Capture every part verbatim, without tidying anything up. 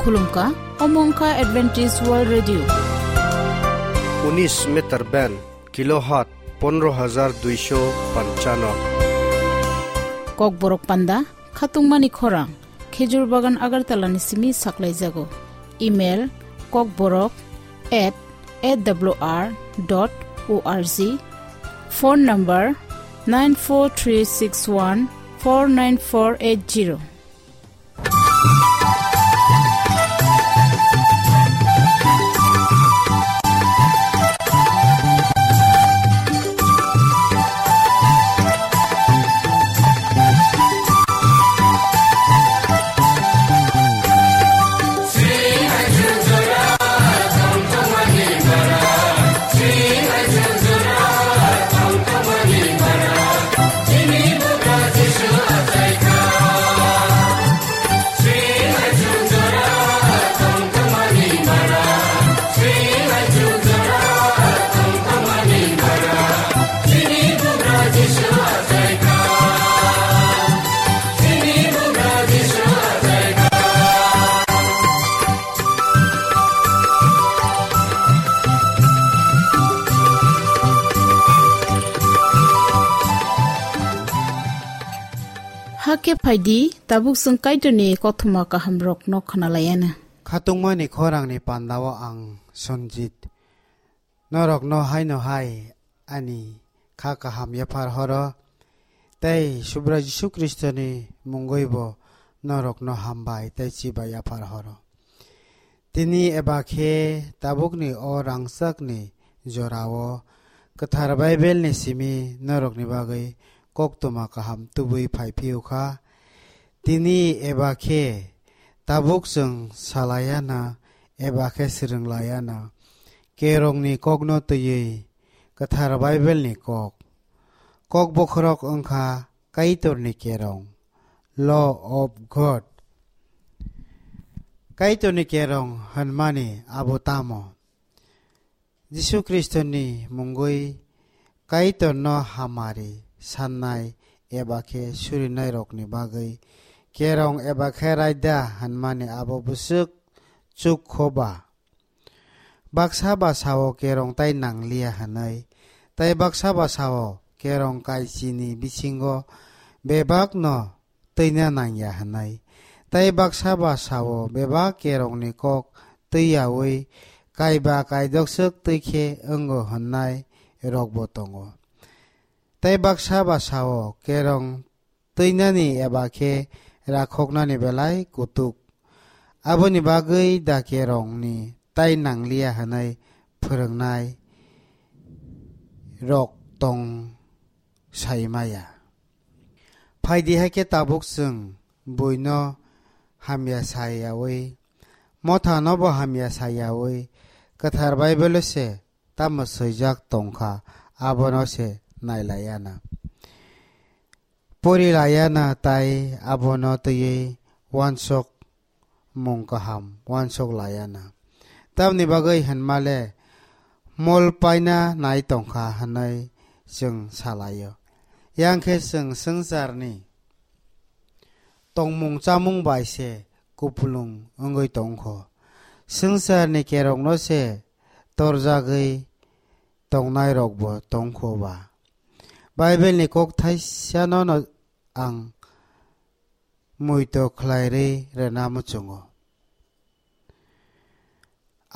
Khulumkha, omo wngkha Adventist World Radio. Unis meter band, kilohertz pondro hajar duisho panchano. Kokborok panda, khatungmani khorang, Khejur Bagan Agartala ni simi saklaijago. Email, kokborok at A W R dot O R G. Phone number, nine four three six one four nine four eight zero. Hakhe phaidi, tabuk chwng Kaitorni kothoma kahamrokno khwnalayana. Khatungmani khorangni pandao ang Sanjit. Norokno haino hai ani kha kaham yaphar horo, tei Subrai Jisu Khristoni mungwibo norokno hambai tei chibai yaphar horo. Tini eba khe tabukni o rangchakni jorao Kwthar Baibelni simi norokni bagwi koktwma kaham tubui phai phiyokha. Tini eba khe tabuk chwng salaiana eba khe swrwnglayana. Kerongni kokno twiwi Kwthar Baibelni kok. Kok bokhorok wngkha Kaitorni kerong, Law of God. Kaitorni kerong hwnmani abo tamo? Jisu Khristoni mungwi Kaitorno hamari sannai eba khe surinairokni bagwi kerong eba khe raida hwnmani abo bwswk chuk kho ba? Baksa ba sao kerong tai nangliya hwnwi, tei baksa ba sao kerong kaichini bisingo bebakno twina nangya hwnwi, tei baksa ba sao bebak kerongni kok twiyaui kaiba kaidokswk twi khe wngo hwnnai rokbo tongo. Tei baksa ba sao kerong twinani eba khe rakhoknani belai kutuk. Aboni bagwi da kerongni tai nangliya hwnwi phwrwngnai rok tong sai maya. Phaidi hai khe tabuk chwng buino hamya sa yaui, mothanobo hamya sa yaui, Kwthar Baibelo se tamo swijak tongkha, abono se nailayana. Porilayana tai abono twiwi wansok mung kaham wansok layana. Tamni bagwi hwnmale mol paina nai tongkha hwnwi chwng salaio. Yang khe chwng swngcharni tongmung chamung bai se kupulung wngwi tongkho. Swngcharni kerongno se torjagwi tongnairokbo tongkho ba. Baibelni kok thaisano no ang muitu khlairwi rwna muchungo.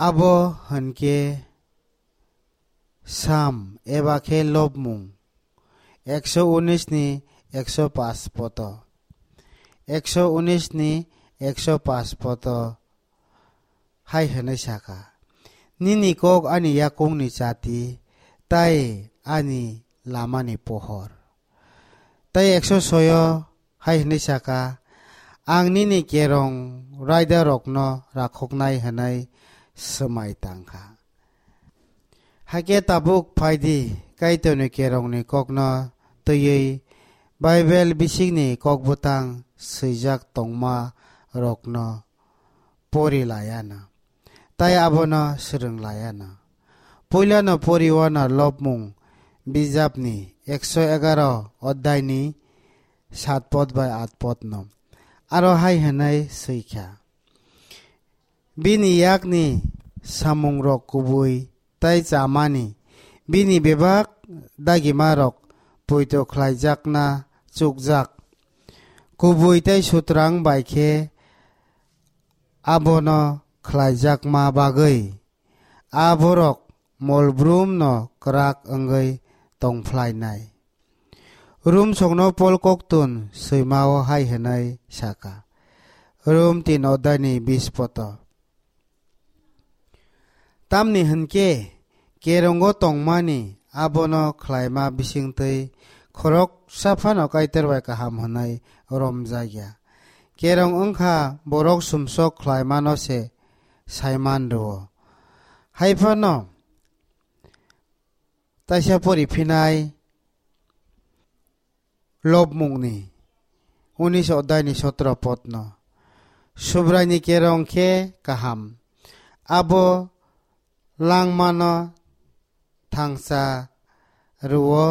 Abo hwnkhe Sam eba khe lobmung ekso unis ni ekso paanch poto. Ekso unis ni ekso paanch poto hai hwnwi saka, "Nini kok ani yakungni chati tei ani lamani pohor." Tei ekso soyo hai hwnwi saka, "Ang nini kerong raidarokno rakhoknai hwnwi swmai tang kha." Hakhe tabuk phai di, Kaitorni kerongni kokno twiwi Baibel bisingni kokbwtang swijak tongma rokno pori laiano, tei abono swrwng laiano. Puilano poriwano lobmung bijapni ekso egaroh odhayni saat pod bai aat podno aro hai hwnwi swi kha, Bini yakni samungrok kubui tei chamani, bini bebak dagimarok poito khlaijakna chukjak. Kubui tei sutrang bai khe abono khlaijakma bagwi a borok molbrumno kwrak wngwi tongphlainai. Rum songno Pol koktun swimao hai hwnwi saka, Rum tin odai ni bis poto. Tamni hwnkhe kerongo tongmani abono khlaima bisingtwi khoroksa phano Kaitor bai kaham hwnwi romjakya. Kerong wngkha borok sumsok khlaimano se saiman rwo. Hai phano taisa pori phinai lobmungni unis odai ni sotro potno. Subraini kerong khe kaham. Abo langmano thangsa rwo.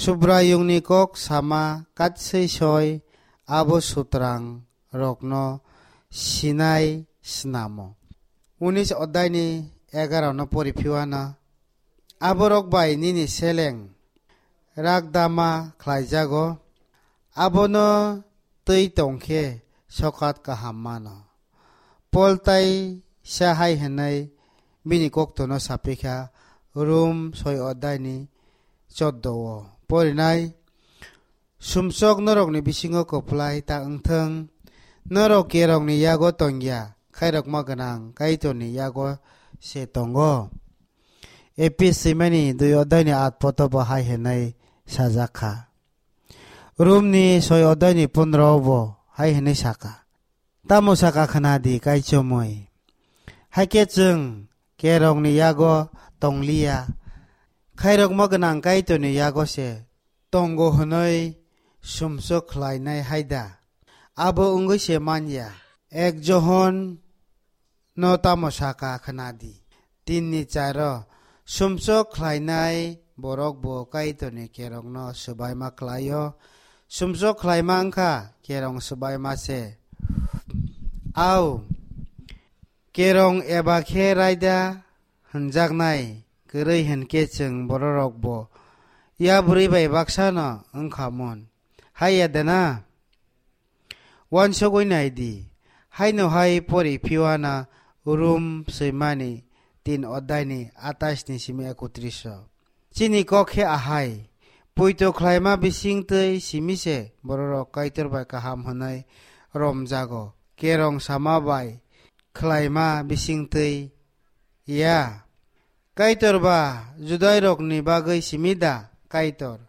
Subraiyungni kok sama katswi soi abo sutrang rokno sinai snamo. Unis odai ni egaro no pori phiwana. Aborok bai nini seleng rakdama khlaijago, abono twi tongkhe sokat kaham mano. Pol tai sa hai hwnwi bini koktono sapikha, Rum soi odai ni choddo o porinai. Sumsok norokni bisingo kwplai ta wngthwng, norok kerongni yago tongya, khairokma gwnang Kaitorni yago se tongo. Epis swimani dui odai ni at poto bo hai hwnwi sajak kha. Romni soi odai ni pondro bo hai hwnwi saka, Tamo saka khna di kaichomwi. Hakhe chwng kerongni yago tongliya, khairokma gwnang Kaitorni yago se tongo hwnwi sumsok khlainai hai da? Abo wngwi se man ya. Ek Johon no tamo saka khna di. Tinni charo sumsok khlainai borok bo Kaitorni kerongno swbaima khlaio. Sumsok khlaima wngkha kerong swbaima se. Au, kerong eba khe raida hwnjaknai kwrwi hwnkhe chwng bororok bo yabrwi bai baksano wngkha mun. Hai ya de na? Uansugwi nai di, haino hai pori phiwana Rum swimani tin odai ni atais ni simi ekotris o. Chini kok khe ahai, poito khlaima bising twi simi se bororok Kaitor bai kaham hwnwi romjago, kerong sama bai khlaima bising twi ya. Kaitor ba Judairokni bagwi simi da Kaitor?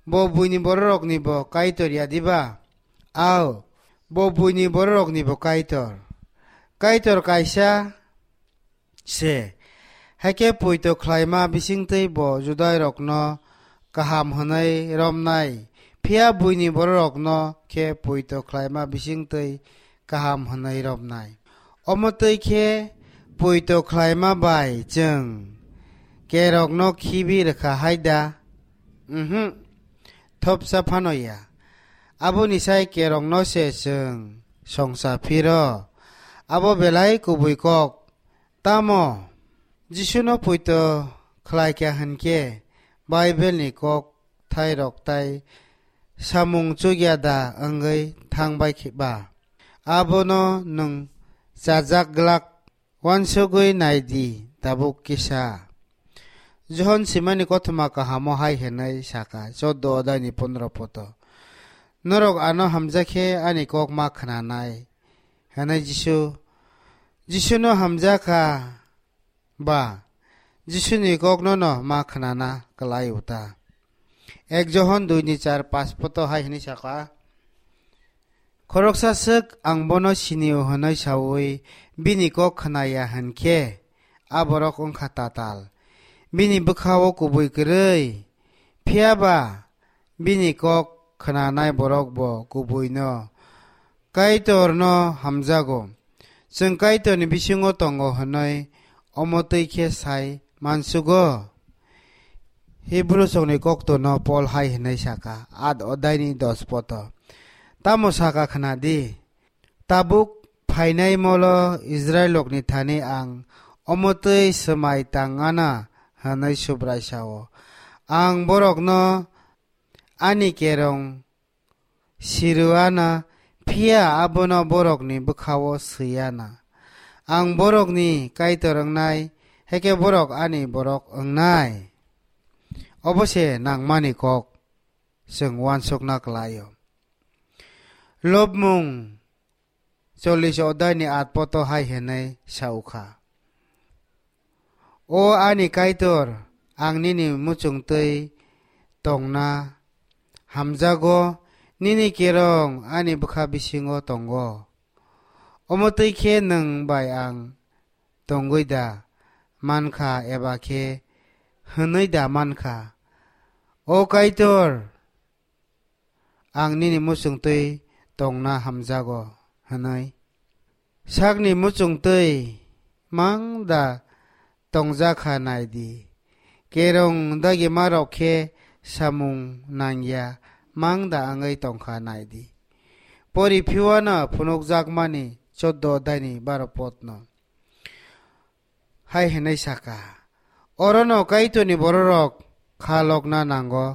Bo buini bororokni bo Kaitor ya diba? Ao, bo buini bororokni bo Kaitor. Kaitor kaisa se. Hakhe poito khlaima bisingtwi bo Judairokno kaham hwnwi romnai, phiya buini bororokno khe poito khlaima bisingtwi kaham hwnwi romnai. Omo twi khe poito khlaima bai chwng kerokno khibi rwkha hai da? Umhu, thopsa phano ya. Aboni sai kerokno se chwng songcha phiro. Abo belai kubui kok. Tamo Jisuno poito khlai kha hwn khe Bible ni kok thairok tai samung chukya da wngwi thang bai khe ba? Abono nwng chajak glak, uansugwi nai di tabuk kisa. Johon swimani kothoma kahamo hai hwnwi saka, choddo odai ni pondro poto, "Norok ano hamjak khe ani kok ma khnanai," hwnwi Jisu, Jisuno hamjakha ba Jisuni kokno no ma khnana kwlai uta. Ek Johon dui ni char pas poto hai hwnwi saka, "Khoroksa swk ang bono sini-o," hwnwi saui bini kok khnaya hwn khe, a borok wng kha tatal, bini bwkha-o kubui kwrwi. Phiya ba bini kok khnanai borok bo kubuino Kaitorno hamjago. Chwng Kaitorni bisingo tongo hwnwi omo twi khe sai mansugo. Hibru songni koktono Pol hai hwnwi saka, at odaini dos poto, "Tamo saka khna di, tabuk phainai molo Israilrokni thani ang omo twi swmai tang ana," hwnwi Subrai sa-o. "Ang borokno ani kerong si rw ana, phiya abono borokni bwkha-o swi ana. Ang borokni Kaitor wngnai, hakhe borok ani borok wngnai." Obo se nangmani kok chwng uansukna klai-o. Lobmung chollish odai ni aat poto hai hwnwi sa ukha, "O ani Kaitor, ang nini muchung twi tongna hamjago, nini kerong ani bwkha bisingo tongo. Omo twi khe nwng bai ang tongwi da mankha eba khe hwnwi da mankha, 'O Kaitor, ang nini muchung twi tongna hamjago,' hwnwi? Sakni muchung twi mang da tongjak kha nai di. Kerong dagimarok khe samung nangya mang da wngwi tong kha nai di." Pori phiuano phunukjakmani choddo daini baro potno hai hwnwi sa kha, "Orono Kaitorni bororok kha lokna nango,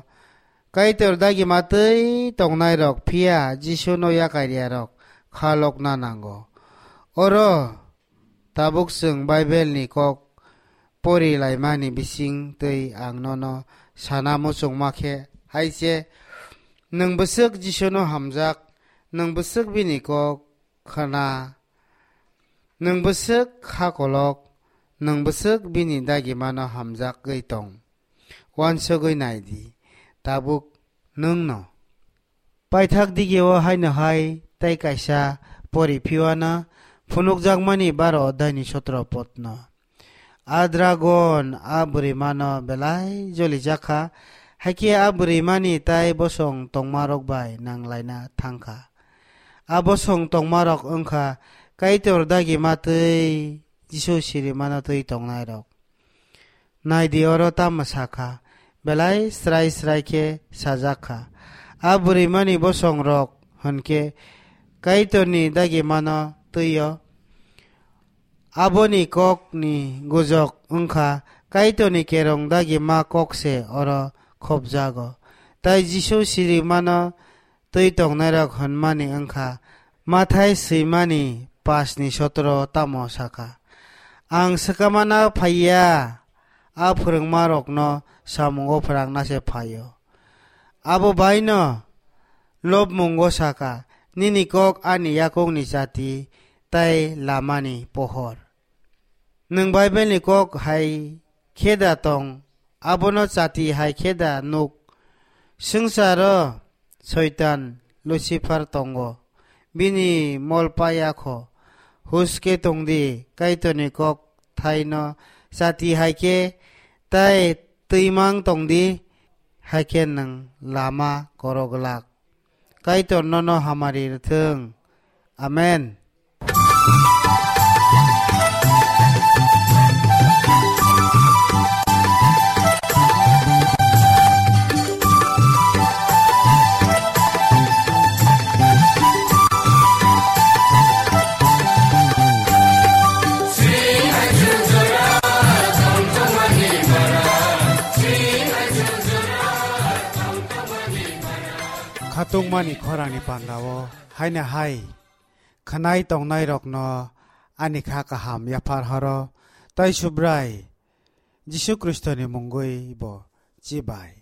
Kaitor dagima twi tongnairok, phiya Jisuno yakariyarok kha lokna nango." Oro tabuk chwng Baibelni kok pori laimani bising twi ang nono sana muchungma khe hai se, nwng bwswk Jisuno hamjak, nwng bwswk bini kok khna, nwng bwswk kha kolok, nwng bwswk bini dagimano hamjagwi tong. Uansugwi nai di, tabuk nwng no. Paithak dige o haino hai tei kaisa pori phiuano phunukjakmani baro odai ni sotro potno. A dragon a bwrwimano belai jolijak kha, hakhe a bwrwimani tai bosong tongmarok bai nanglaina thang kha. A bosong tongmarok wng kha Kaitor dagima twi Jisu sirimano twi tongnairok. Nai di, oro tamo sa kha, belai srai srai khe sajak kha. A bwrwimani bosongrok hwn khe Kaitorni dagimano twi-o. Aboni kokni gujok wng kha Kaitorni kerong dagima kok se oro khopjago. Tai Jisu sirimano twi tongnairok hwnmani wng kha Mathai swimani pash ni sotro tamo sa kha, "Ang swkamana phai ya, a phrwngmarokno samungo phrangna se phai-o." Abo bai no lobmungo sa kha, "Nini kok ani yakungni chati tai lamani pohor." Nwng Baibelni kok hai khe da tong, abono chati hai khe da nuk? Swngcharo Soitan Lucifer tongo, bini mol paya kho. Hus khe tong di, Kaitorni kok thaino chati hai khe tai twimang tong di, hai khe nwng lama korok glak. Kaitor nono hamari rwthwng. Amen. Khatungmani khorangni pandao haino hai khwnai tongnairokno ani kha kaham yaphar horo, tei Subrai Jisu Khristoni mungwi bo chibai.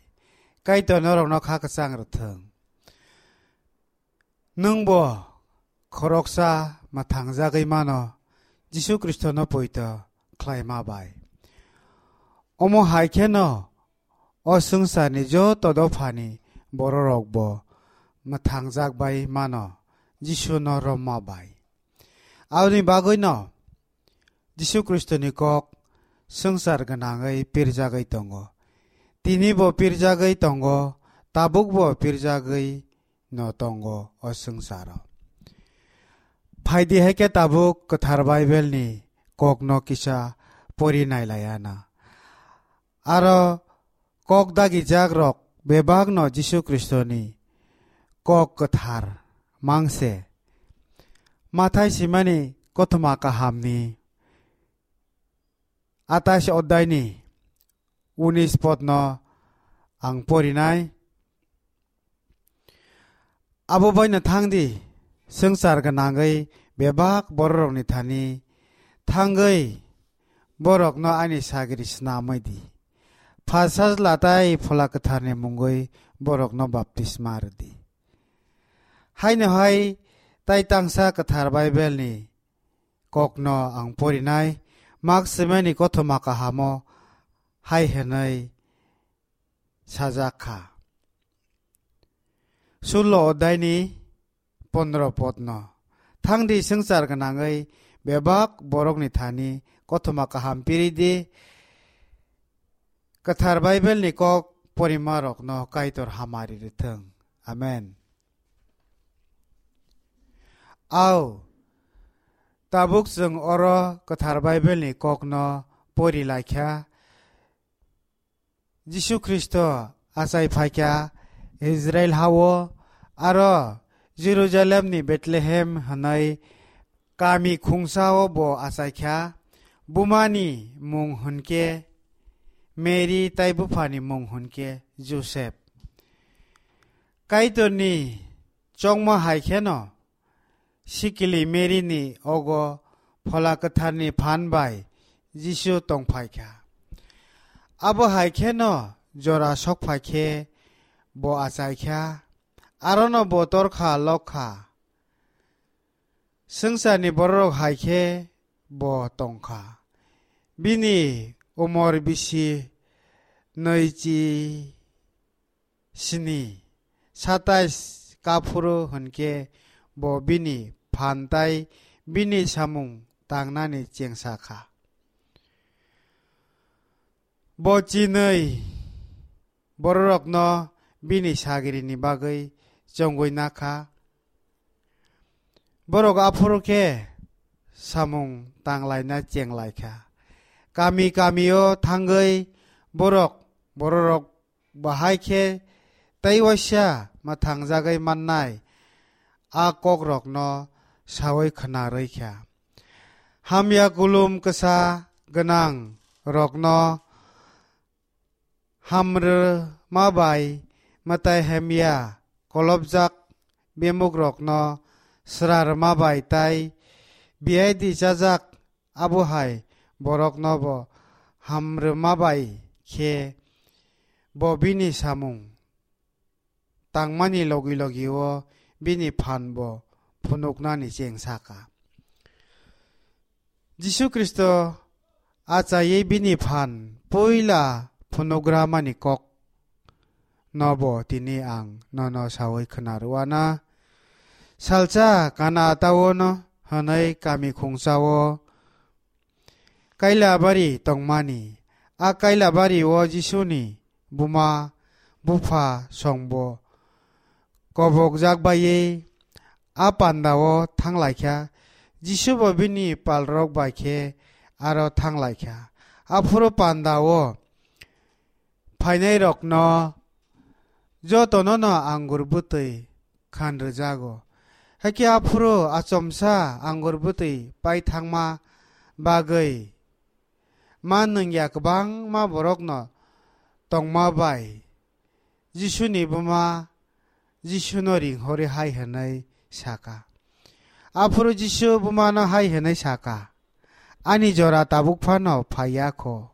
Kaitor norokno kha kwchang rwthwng. Nwngbo khoroksa mwthangjagwi mano, Jisu Khristono poito khlaima bai. Omo hai kheno o swngcharni joto dophani bororokbo mwthangjak bai mano, Jisuno romma bai. Aboni bagwino Jisu Khristoni kok swngchar gwnangwi pirjagwi tongo. Tinibo pirjagwi tongo, tabukbo pirjagwi no tongo o swngcharo. Phaidi hai khe tabuk Kwthar Baibelni kokno kisa pori nailaiana. Aro kok dagijakrok bebakno Jisu Khristoni kok kwthar mangse. Mathai simani kothoma kahamni atais oddaini unis podno ang porinai. Abo baino thangdi, swngchar gwnangwi bebak bororokni thani thangwi borokno ani sagri snamwi di. Pha Sajla tai Phola Kwtharni mungwi borokno baptisma rwdi. Haino hai tai tangsa kwthar Baibelni kokno ang porinai, Mak swimani kothoma kahamo hai hwnwi sajak kha. Sullo oddaini pondro podno. Thangdi swngchar gwnangwi bebak borokni thani kothoma kaham piri di. Kwthar Baibelni kok porimarokno Kaitor hamari rwthwng. Amen. Au, tabuk chwng oro Kwthar Baibelni kokno pori laikha. Jisu Khristo achai phaikha Israil hao, aro Jerusalemni Bethlehem hwnwi kami khungsao bo achaikha. Bumani mung hwnkhe Mary tai buphani mung hwnkhe Joseph. Kaitorni chongma hai kheno sikili Mary ni ogo Phola Kwtharni phan bai Jisu tongphaikha. Abo hai kheno jora sokphai khe bo achaikha, arono bo torkha lokha. Swngcharni bororok hai khe bo tongkha. Bini umor bisi nwichi sini, satais kaphuru hwnkhe bo bini phan tai bini samung tangnani chengsa kha. Bo chinwi bororokno bini sagrini bagwi chongwi nakha. Borok aphuru khe samung tanglaina chenglaikha. Kami kamio thangwi borok bororok bahai khe tei waisa mwthangjagwi mannai a kokrokno saui khna rwikha. Hamya kulum kwsa gwnang rokno hamrwma bai mwtai hamya kolopjak bemukrokno srarwma bai tai biaidi chajak abo hai borokno bo hamrwma bai khe bo bini samung tangmani logi logi o bini phan bo phunuknani chengsa kha. Jisu Khristo achaiwi bini phan puila phunukgramani kok no bo tini ang nono saui khna rwna. Salsa Kana taono hwnwi kami khungsao kaila bari tongmani. A kaila bari o Jisuni buma bupha songbo kobokjak baiwi a panda o thanglaikha. Jisu bo bini palrok bai khe aro thanglaikha. Aphuru panda o phainairokno jotono no angur bwtwi khan rwjago. Hakhe aphuru achomsa angur bwtwi pai thangma bagwi ma nwngya kwbangma borokno tongma bai Jisuni buma Jisuno ringhorwi hai hwnwi sakha. Aphuru Jisu bumano hai hwnwi sakha, "Ani jora tabuk phano phaiya kho.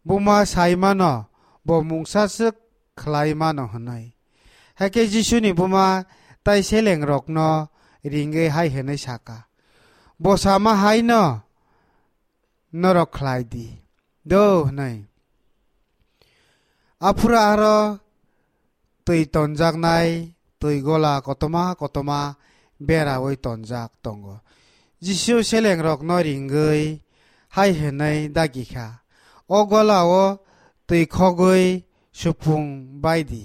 Buma sai mano, bo mungsa swk khlai mano," hwnwi. Hakhe Jisuni buma tai selengrokno ringwi hai hwnwi sakha, "Bo sama haino norok khlai di do," hwnwi. Aphuru aro twi tonjaknai twi gola kotorma kotorma beraui tonjak tongo. Jisu selengrokno ringwi hai hwnwi dagi kha, "O gola-o twi khogwi supung bai di."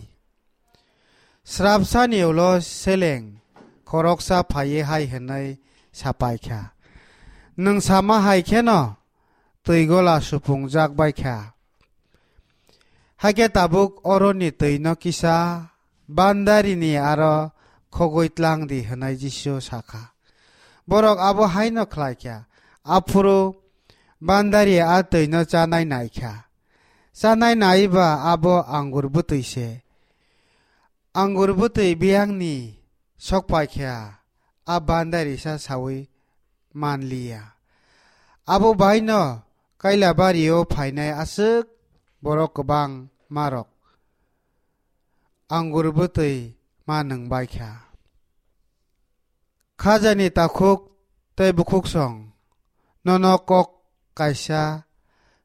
Srapsani ulo seleng khoroksa phaiwi hai hwnwi sapai kha, "Nwng sama hai kheno twi gola supungjak bai kha. Hakhe tabuk oroni twino kisa bandarini aro khogwi tlang di," hwnwi Jisu sa kha. Borok abo haino khlai kha. Aphuru bandari a twino chanai nai kha. Chanai nai ba abo angur bwtwi se. Angur bwtwi biyangni sok pai kha, a bandarisa saui man liya. Abo baino Kailabario phainai aswk borok kwbangmarok angur bwtwi ma nwng bai kha. Khajani takhuk tei bukhuksong nono kok kaisa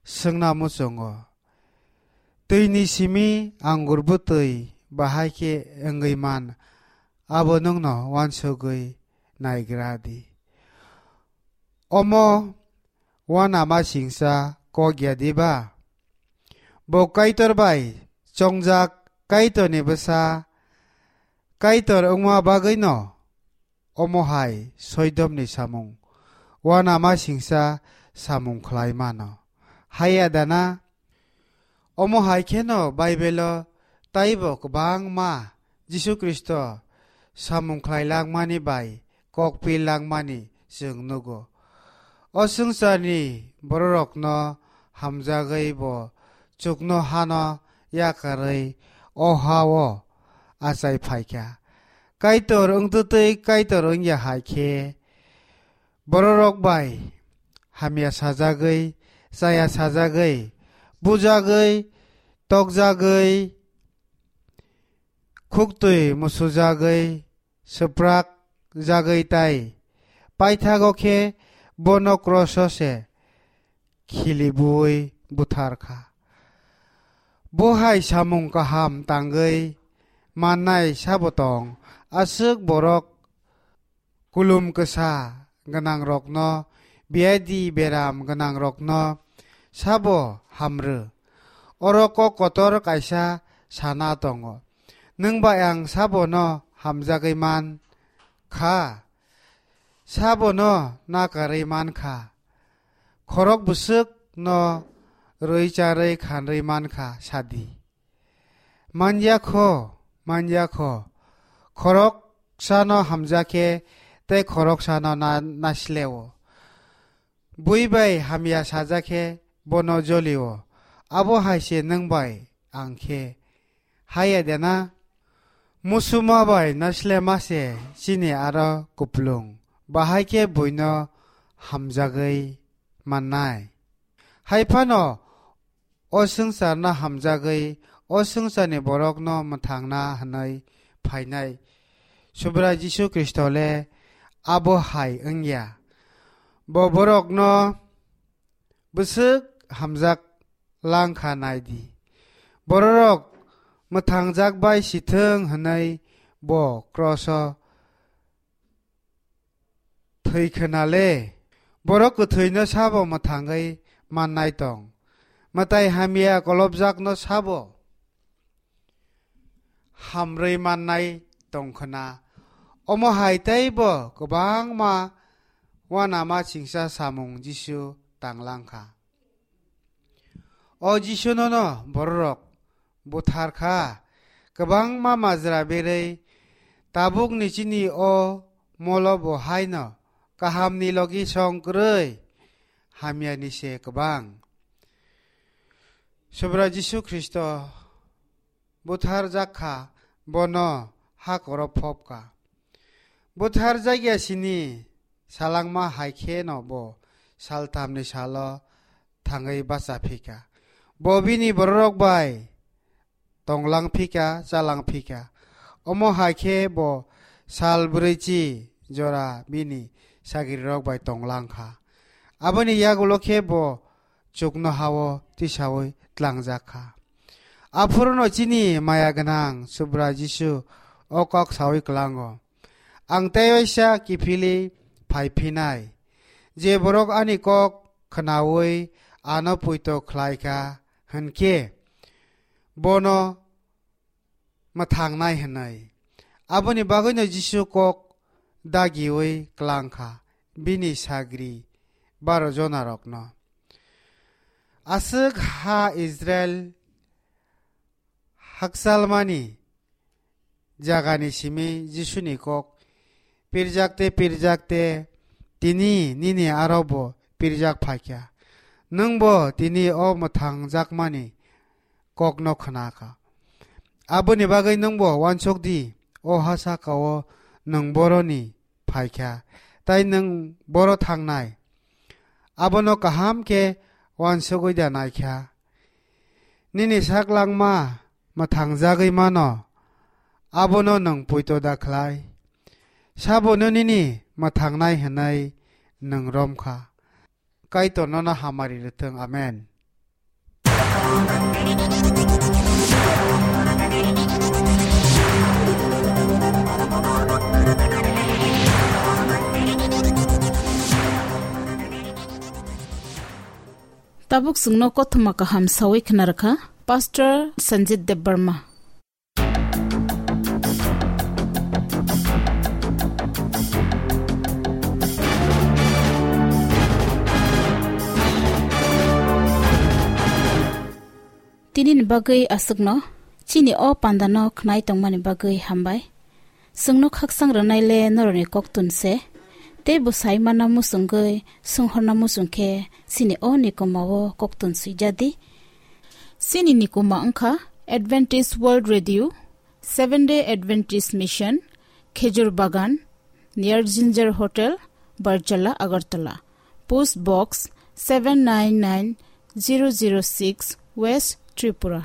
swngna muchungo. Twini simi angur bwtwi bahai khe wngwi man, abo nwngno uansugwi naigra di. Omo uanama singcha kok ya diba? Bo Kaitor bai chongjak Kaitorni bwsa Kaitor wngma bagwino omo hai soidomni samung uanama singcha samung khlai mano. Haiya dana? Omo hai kheno Baibelo taibo kwbangma Jisu Khristo samung khlai langmani bai kok pi langmani chwng nugo. O swngcharni bororokno hamjagwi bo chuknohano yakarwi o ha-o achai phai kha. Kaitor wngtwtwi Kaitor wngya hai khe bororok bai hamya sajagwi, chaya sajagwi, bujagwi, tokjagwi, khuktwi musujagwi, swprak jagwi tai paithago khe bono kroso se khilibuwi buthar kha. Bo hai samung kaham tangwi mannai sabo tong? Aswk borok kulum kwsa gwnangrokno, biyadi beram gwnangrokno sabo hamrw? Oro kok kotor kaisa sana tongo. Nwng bai ang sabono hamjagwi man kha? Sabono nakarwi man kha? Khorok bwswkno rwi charwi khanrwi man kha sadi. Manya kho, manya kho. Khoroksano hamja khe tei khoroksano na-, nasileo. Bui bai hamya saja khe bono jolio. Abo hai se nwng bai ang khe. Haiya dena? Musuma bai nasilema se chini aro kuplung. Bahai khe buino hamjagwi mannai. Hai phano o swngcharno hamjagwi, o swngcharni borokno mwthangna hwnwi phainai Subrai Jisu Khristo le abo hai wngya. Bo borokno bwswk hamjak lang kha nai di. Bororok mwthangjak bai si thung hwnwi bo kroso thwi khna le, borok kwthwino sabo mwthangwi mannai tong? Mwtai hamya kolobjakno sabo hamrwi mannai tong khna? Omo hai teibo kwbangma uanama chingsa samung Jisu tang lang kha. O Jisu nono bororok buthar kha, kwbangma majra berwi tabukni chini o molo bo haino kahamni logi song kwrwi hamyani se kwbang. Subra Jisu Khristo buthar jak kha, bono hakoro phop kha. Buthar jakya sini salangma hai khe no bo saltamni salo thangwi bacha phi kha. Bo bini bororok bai tonglang phi kha, chalang phi kha. Omo hai khe bo sal brwichi jora bini sagrirok bai tonglang kha. Aboni yagulo khe bo chukno hao tisaui tlangjak kha. Aphuruno chini maya gwnang Subra Jisu o kok saui klango, "Ang tei waisa kiphilwi phai phinai. Je borok ani kok khnaui ano puito khlai kha, hwn khe bono mwthangnai," hwnwi. Aboni bagwino Jisu kok dagiui klang kha bini sagri baro jonarokno. Aswk ha Israel hakchalmani jagani simi Jisuni kok pirjakte pirjakte tini nini aro bo pirjak phaikha. Nwng bo tini o mwthangjakmani kokno khna kha. Aboni bagwi nwng bo uansuk di, o ha saka-o nwng boroni phaikha, tai nwng boro thangnai. Abono kaham khe uansugwi da naikha. Nini sak langma mwthangjagwi mano, abono nwng poito da khlai. Sabono nini mwthangnai hwnwi nwng rom kha. Kaitor nono hamari rwthwng. Amen. Tabuk chwngno kothoma kaham sawi khna rwkha Pastor Sanjit Debbarma. Tini ni bagwi aswkno, chini o panda no khnai tongmani bagwi hambai. Chwngno khaksang rwnai le norokni koktun se, tei bwsai mana muchungwi swnghorna muchung khe chini o nikoma o koktun swijadi. Chini nikoma wngkha Adventist World Radio, Seventh Day Adventist Mission, Khejur Bagan, near Ginger Hotel, Barchala, Agartala. Post Box seven nine nine zero zero six, West Tripura.